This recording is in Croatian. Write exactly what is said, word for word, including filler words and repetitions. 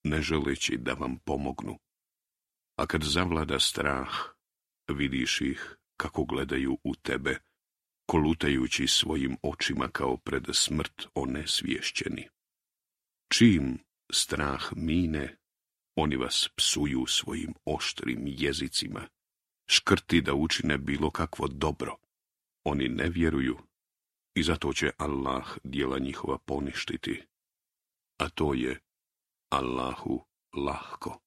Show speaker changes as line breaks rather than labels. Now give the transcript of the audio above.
ne želeći da vam pomognu. A kad zavlada strah, vidiš ih kako gledaju u tebe, kolutajući svojim očima kao pred smrt onesvješćeni. Čim strah mine, oni vas psuju svojim oštrim jezicima, škrti da učine bilo kakvo dobro. Oni ne vjeruju i zato će Allah djela njihova poništiti, a to je Allahu lahko.